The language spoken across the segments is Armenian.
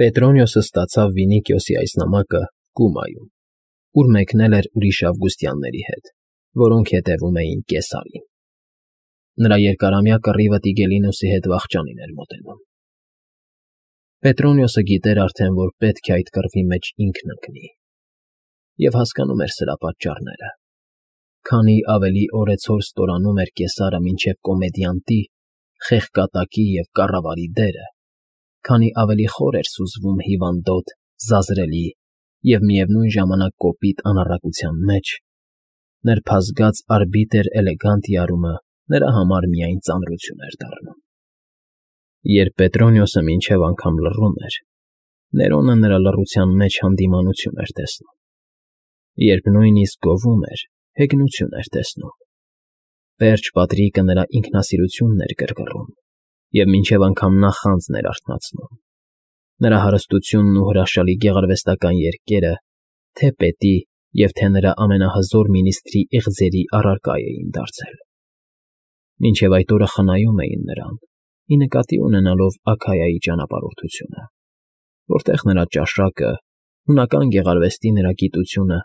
Պետրոնիոսը ստացավ Վինիկիոսի այս նամակը Կումայում, ուր մեկնել էր ուրիշ ավգուստյանների հետ, որոնք հետևում էին Կեսարին։ Նրա երկարամյա կռիվը Տիգելինոսի հետ վախճանին էր մոտենում։ Պետրոնիոսը գիտեր արդեն, որ պետք է այդ կռվի մեջ ինքն ընկնի, և հասկանում էր սրա պատճառները։ Քանի ավելի օրեցօր ստորանում էր Կեսարը մինչև կոմեդիանտի, խեղկատակի և կառավարի դերը, քանի ավելի խոր էր սուզվում հիվանդոտ, զազրելի և միևնույն ժամանակ կոպիտ անառակության մեջ, նրբազգաց արբիտր էլեգանտիարումը նրա համար միայն ծանրություն էր դառնում։ Երբ Պետրոնիոսը մինչև անգամ լռում էր, Ներոնը նրա լռության մեջ հանդիմանություն էր տեսնում։ Երբ նույնիսկ գովում էր, հեգնություն էր տեսնում։ Պերճ Պատրիկը նրա ինքնասիրությունն էր գրգռում, և մինչև անգամ նախանձն էր արթնացնում։ Նրա հարստությունն ու հրաշալի գեղարվեստական երգերը թե՛ պետի և թե՛ նրա ամենահզոր մինիստրի իղձերի առարկա էին դարձել։ Մինչև այդ օրը խնայում էին նրան, ի նկատի ունենալով Աքայայի ճանապարհորդությունը, որտեղ նրա ճաշակը, հունական գեղարվեստի նրա գիտությունը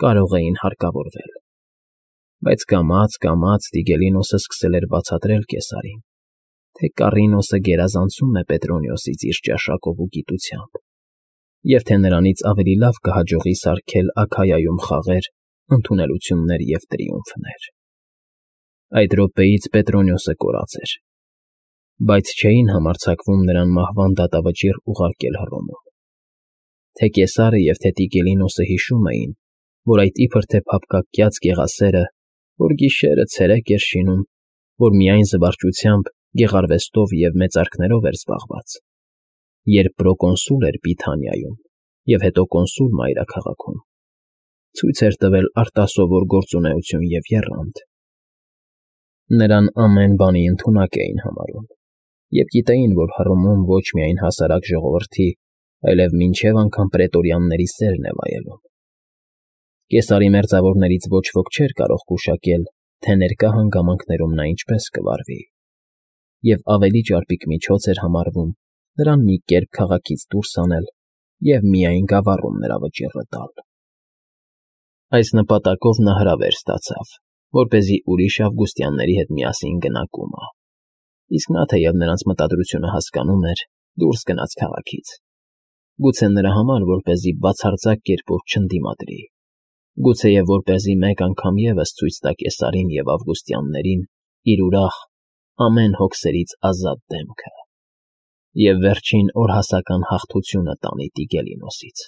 կարող էին հարկավորվել։ Բայց կամաց Տիգելինոսը սկսել էր բացատրել Կեսարին, թե Կառինոսը գերազանցում է Պետրոնիոսից իր ճաշակով ու գիտությամբ, և թե նրանից ավելի լավ կհաջողի սարքել Աքայայում խաղեր, ընդունելություններ և տրիումֆներ։ Այդ րոպեից Պետրոնիոսը կորած էր, բայց չէին համարձակվում նրան մահվան դատավճիռ ուղարկել Հռոմում։ Թե Կեսարը և թե Տիգելինոսը հիշում էին, որ այդ իբր թե փափկակյաց գեղասերը, որ գիշերը ցերեկ էր շինում, որ միայն զվարճությամբ, գեղարվեստով և մեծարքներով էր զբաղված, երբ պրոկոնսուլ էր Բիթանիայում և հետո կոնսուլ մայրաքաղաքում, ցույց էր տվել արտասովոր գործունեություն և եռանդ։ Նրան ամեն բանի ընդունակ էին համարում և գիտեին, որ Հռոմում ոչ միայն հասարակ ժողովրդի, այլև մինչև անգամ պրետորյանների սերն է վայելում։ Կեսարի մերձավորներից ոչ ոք չէր կարող գուշակել, թե ներկա հանգամանքներում նա ինչպես կվարվի, և ավելի ճարպիկ միջոց էր համարվում նրան մի կերպ քաղաքից դուրս անել և միայն գավառում նրա վճիռը տալ։ Այս նպատակով նա հրավեր ստացավ, որպեսզի ուրիշ ավգուստյանների հետ միասին գնա Կումա, իսկ նա, թեև նրանց մտադրությունը հասկանում էր, դուրս գնաց քաղաքից, գուցե նրա համար, որպեսզի բացարձակ կերպով չընդդիմադրի, գուցեև որպեսզի մեկ անգամ ևս ցույց տա Կեսարին և ավգուստյաններին իր ուրախ, ամեն հոգսերից ազատ դեմքը և վերջին օրհասական հաղթությունը տանի Տիգելինոսից։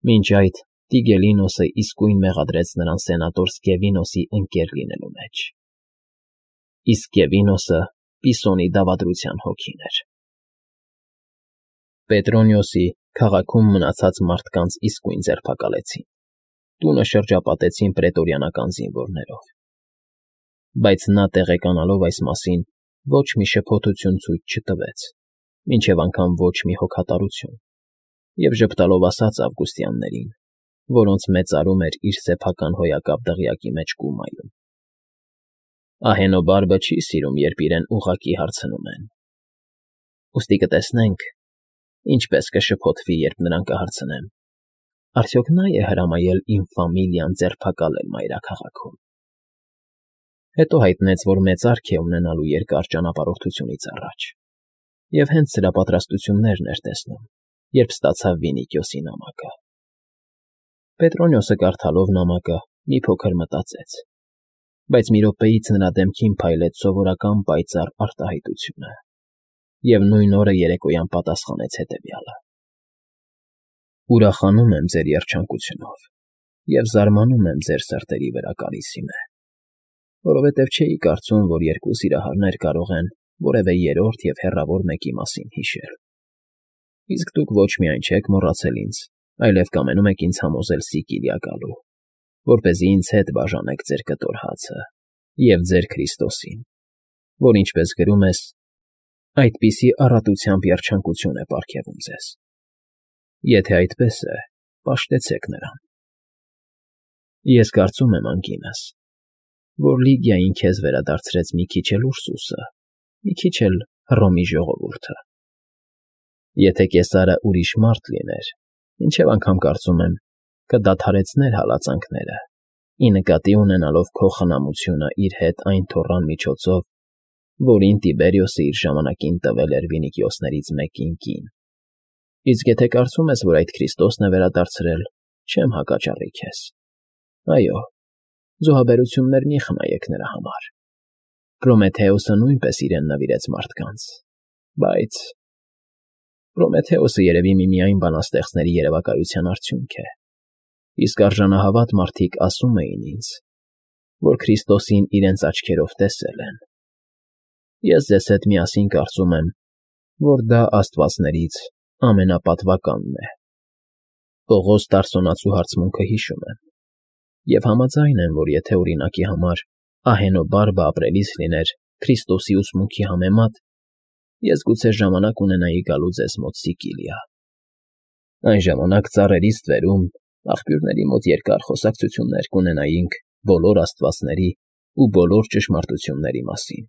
Մինչ այդ Տիգելինոսը իսկույն մեղադրեց նրան սենատոր Սկևինոսի ընկեր լինելու մեջ։ Իսկ Սկևինոսը Պիսոնի դավադրության հոգին էր։ Պետրոնիոսի քաղաքում մնացած մարդկանց իսկույն ձերբակալեցին, տունը շրջապատեցին պրետորյանական զինվորներով։ Բայց նա, տեղեկանալով այս մասին, ոչ մի շփոթություն ցույց չտվեց, մինչև անգամ ոչ մի հոգատարություն, և ժպտալով ասաց ավգուստյաններին, որոնց մեծարում էր իր սեփական հոյակապ դղյակի մեջ Կումայում. Ահենոբարբը չի սիրում, երբ իրեն ուղղակի հարցնում են։ Ուստի կտեսնենք, ինչպես կշփոթվի, երբ նրան կհարցնեմ. արդյոք նա՞ է հրամայել իմ ֆամիլիան ձերբակալել մայրաքաղաքում։ Հետո հայտնեց, որ մեծարք է ունենալու երկար ճանապարհորդությունից առաջ, և հենց սրա պատրաստություններն էր տեսնում, երբ ստացավ Վինիկիոսի նամակը։ Պետրոնիոսը կարդալով նամակը մի փոքր մտածեց, բայց մի րոպեից նրա դեմքին փայլեց սովորական պայծառ արտահայտությունը, և նույն օրը երեկոյան պատասխանեց հետևյալը. Ուրախանում եմ ձեր երջանկությունով և զարմանում եմ ձեր սրտերի վրա, Կարիսիմե, որովհետև չէի կարծում, որ երկու սիրահարներ կարող են որևէ երրորդ և հեռավոր մեկի մասին հիշել։ Իսկ դուք ոչ միայն չեք մոռացել ինձ, այլև կամենում եք ինձ համոզել Սիկիլիա գալու, որպեսզի ինձ հետ բաժանեք ձեր կտոր հացը և ձեր Քրիստոսին, որ, ինչպես գրում ես, այդպիսի առատությամբ երջանկություն է պարգևում ձեզ։ Եթե այդպես է, պաշտեցեք նրան։ Ես կարծում եմ, անգինս, որ Լիգիային քեզ վերադարձրեց մի քիչ էլ Ուրսուսը, մի քիչ էլ Հռոմի ժողովուրդը։ Եթե Կեսարը ուրիշ մարդ լիներ, ինչև անգամ կարծում եմ, կդադարեցներ հալածանքները, ի նկատի ունենալով քո խնամությունը իր հետ այն թոռան միջոցով, որին Տիբերիոսը իր ժամանակին տվել էր Վինիկիոսներից մեկին կին։ Իսկ եթե կարծում ես, որ այդ Քրիստոսն է վերադարձրել, չեմ հակաճառի քեզ։ Այո, զոհաբերություններ մի խնայեք նրա համար։ Պրոմեթեոսը նույնպես իրեն նվիրեց մարդկանց, բայց Պրոմեթեոսը երևի միմիայն բանաստեղծների երևակայության արդյունք է, իսկ արժանահավատ մարդիկ ասում էին ինձ, որ Քրիստոսին իրենց աչքերով տեսել են։ Ես ձեզ հետ միասին կարծում եմ, որ դա աստվածներից ամենապատվականն է։ Պողոս Տարսոնացու հարցմունքը հիշում եմ, և համաձայն եմ, որ եթե օրինակի համար ահենոբարբը ապրելիս լիներ Քրիստոսի ուսմունքի համեմատ, ես գուցե ժամանակ ունենայի գալու ձեզ մոտ Սիկիլիա։ Այն ժամանակ ծառերից ստվերում աղբյուրների մոտ երկար խոսակցություններ կունենայինք բոլոր աստվածների ու բոլոր ճշմարտությունների մասին,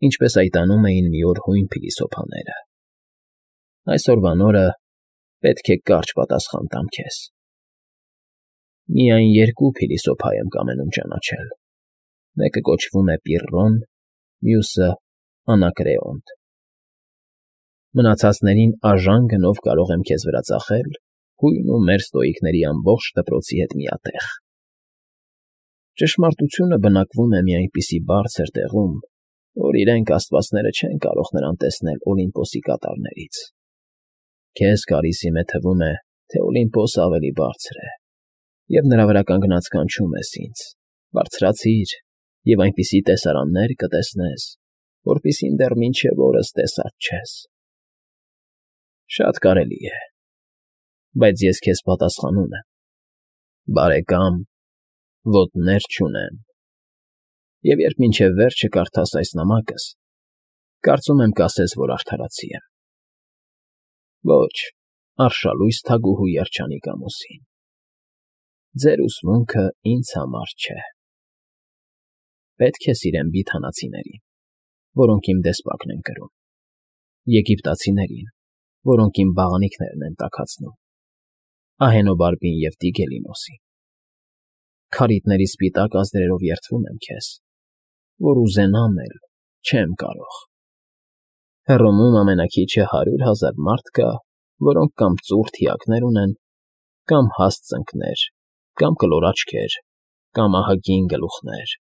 ինչպես այդ անում էին մի օր հույն փիլիսոփաները։ Այսօրվա նորը պետք է կարճ պատասխան տամ քեզ։ Միայն երկու փիլիսոփա եմ կամենում ճանաչել. մեկը կոչվում է Պիրռոն, մյուսը՝ Անակրեոնտ։ Մնացածներին արժան գնով կարող եմ քեզ վրա ծախել հույն ու մեր ստոիկների ամբողջ դպրոցի հետ միատեղ։ Ճշմարտությունը բնակվում է մի այնպիսի բարձր տեղում, որ իրենք աստվածները չեն կարող նրան տեսնել Օլիմպոսի կատարներից։ Քեզ Կարիսիմե թվում է, թե Օլիմպոսը ավելի բարձր է, և նրա վրա կանգնած կանչում ես ինձ. բարձրացիր և այնպիսի տեսարաններ կտեսնես, որպիսին դեռ մինչև օրս տեսած չես։ Շատ կարելի է, բայց ես քեզ պատասխանում եմ. բարեկամ, ոտներ չունեմ, և երբ մինչև վերջը կարդաս այս նամակս, կարծում եմ կասես, որ արդարացի եմ։ Ոչ, արշալույս թագուհու երջանիկ ամուսին, ձեր ուսմունքը ինձ համար չէ։ Պետք է սիրեմ բիթանացիներին, որոնք իմ դեսպակն են կրում, եգիպտացիներին, որոնք իմ բաղանիքներն են տաքացնում, ահենոբարբին և Տիգելինոսին։ Քարիթների սպիտակ ազդրերով երդվում եմ քեզ, որ ուզենամ էլ չեմ կարող։ Հռոմում ամենաքիչը 100,000 մարդ կա, որոնք կամ ծուռ թիակներ ունեն, կամ հաստ ծնկներ, կամ կլոր աչքեր, կամ ահագին գլուխներ։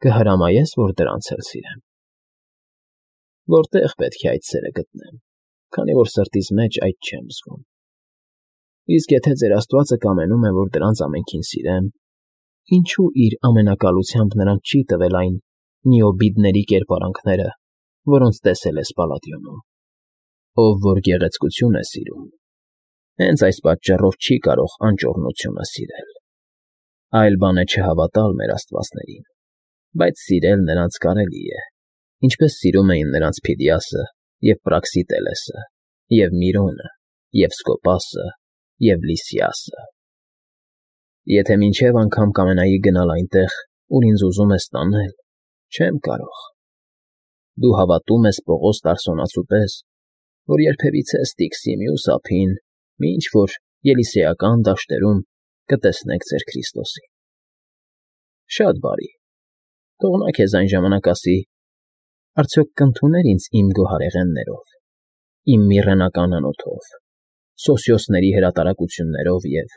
Կհրամայես, որ դրանց էլ սիրեմ։ Որտե՞ղ պետք է այդ սերը գտնեմ, քանի որ սրտիս մեջ այդ չեմ զգում։ Իսկ եթե ձեր Աստվածը կամենում է, որ դրանց ամենքին սիրեմ, ինչու իր ամենակալությամբ նրանց չի տվել այն Նիոբիդների կերպարանքները, որոնց տեսել ես Պալադիոնում։ Ով որ գեղեցկություն է սիրում, հենց այս պատճառով չի կարող անճոռնությունը սիրել։ Այլ բան է չհավատալ մեր աստվածներին, բայց սիրել նրանց կարելի է, ինչպես սիրում էին նրանց Փիդիասը և Պրաքսիտելեսը, և Միրոնը, և Սկոպասը, և Լիսիասը։ Եթե մինչև անգամ կամենայի գնալ այնտեղ, ուր ինձ ուզում ես տանել, չեմ կարող։ Դու հավատում ես Պողոս Տարսոնացու պես, որ երբևիցե Ստիքսի մյուս ափին, մի ինչ-որ Ելիսեական դաշտերում կտեսնեք ձեր Քրիստոսին։ Շատ բարի, թող նա քեզ այն ժամանակ ասի. արդյոք կընդուներ ինձ իմ գոհարեղեններով, իմ միրրենական անոթով, Սոսիոսների հրատարակություններով և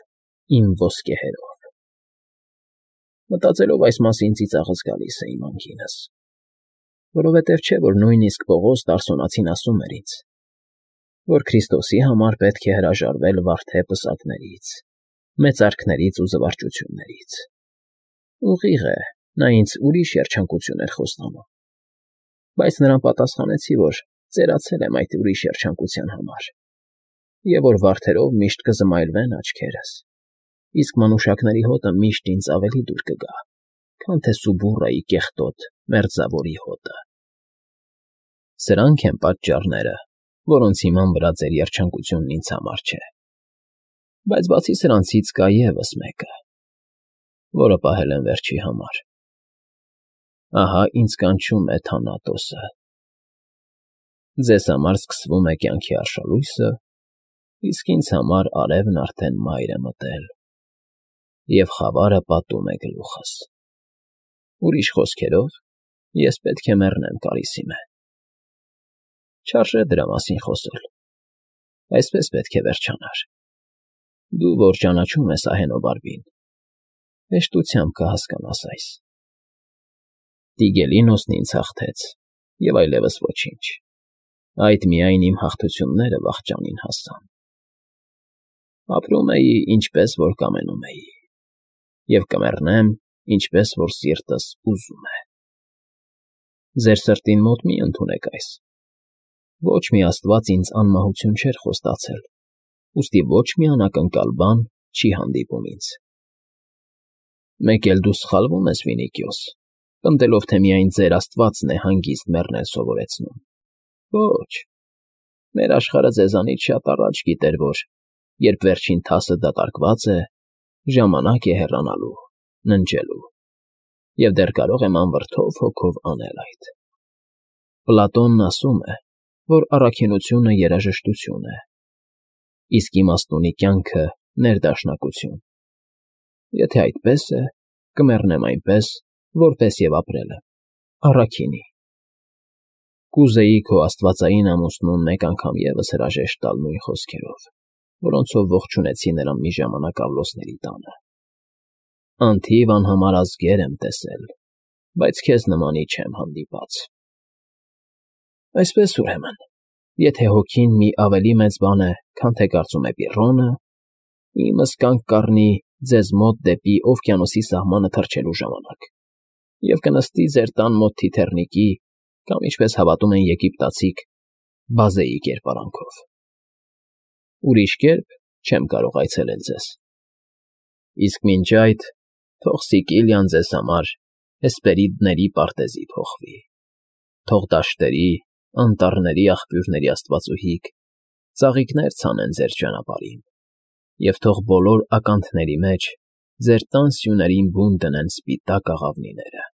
իմ ոսկեհերով։ Մտածելով այս մասին ծիծաղս գալիս է իմ անգինս, որովհետև չէ, որ նույնիսկ Պողոս Տարսոնացին ասում էր ինձ, որ Քրիստոսի համար պետք է հրաժարվել վարդե պսակներից, մեծարքներից ու զվարճություններից։ Ուղիղ է, նա ինձ ուրիշ երջանկություն էր խոստանում, բայց նրան պատասխանեցի, որ ծերացել եմ այդ ուրիշ երջանկության համար, և որ վարդերով միշտ կզմայլվեն աչքերս, իսկ մանուշակների հոտը միշտ ինձ ավելի դուր կգա, քան թե Սուբուրայի կեղտոտ մերձավորի հոտը։ Սրանք են պատճառները, որոնց հիման վրա ձեր երջանկությունն ինձ համար չէ։ Բայց բացի սրանցից կա ևս մեկը, որը պահել եմ վերջի համար։ Ահա ինձ կանչում է Թանատոսը։ Ձեզ համար սկսվում է կյանքի արշալույսը, իսկ ինձ համար արևն արդեն մայր է մտել, և խավարը պատում է գլուխս։ Ուրիշ խոսքերով, ես պետք է մեռնեմ կարիսիմե։ Չարժե դրա մասին խոսել, այսպես պետք է վերջանար։ Դու, որ ճանաչում ես ահենոբարբին, հեշտությամբ կհասկանաս այս։ Տիգելինոսն ինձ հաղթեց, և այլևս ոչինչ, այդ միայն իմ հաղթությունները վախճանին հասան։ Ապրում էի, ինչպես որ կամենում էի, և կմեռնեմ, ինչպես որ սիրտս ուզում է։ Ձեր սրտին մոտ մի ընդունեք այս. ոչ մի աստված ինձ անմահություն չէր խոստացել, ուստի ոչ մի անակնկալ բան չի հանդիպում ինձ։ Մեկ էլ դու սխալվում ես, Վինիկիոս, պնդելով, թե միայն ձեր աստվածն է հանգիստ մեռնել սովորեցնում։ Ոչ, մեր աշխարհը ձեզանից շատ առաջ գիտեր, որ երբ վերջին թասը դատարկված է, ժամանակ է հեռանալու, ննջելու, և դեռ կարող եմ անվրդով հոգով անել այդ։ Պլատոնն ասում է, որ առաքինությունը երաժշտություն է, իսկ իմաստունի կյանքը ներդաշնակություն։ Եթե այդպես է, կմեռնեմ այնպես, որպես և ապրել եմ, առաքինի։ Կուզեի քո աստվածային ամուսնուն մեկ անգամ ևս հրաժեշտ տալ նույն խոսքերով, որոնցով ողջունեցի նրան մի ժամանակ Աղլոսների տանը։ Անթիվ անհամար ազգեր եմ տեսել, բայց քեզ նմանի չեմ հանդիպած։ Այսպես, ուրեմն, եթե հոգին մի ավելի մեծ բան է, քան թե կարծում է Պիռոնը, իմս կանգ կառնի ձեզ մոտ դեպի օվկիանոսի սահմանը թռչելու ժամանակ և կնստի ձեր տան մոտ թիթեռնիկի կամ, ինչպես հավատում են եգիպտացիք, բազեի կերպարանքով։ Ուրիշ կերպ չեմ կարող այցելել ձեզ։ Իսկ մինչ այդ թող Սիկիլիան ձեզ համար Հեսպերիդների պարտեզի փոխվի, թող դաշտերի, անտառների աղբյուրների աստվածուհիք ծաղիկներ ցանեն ձեր ճանապարհին, և թող բոլոր ականթների մեջ ձեր տան սյուներին բուն դնեն սպիտակ աղավնիները։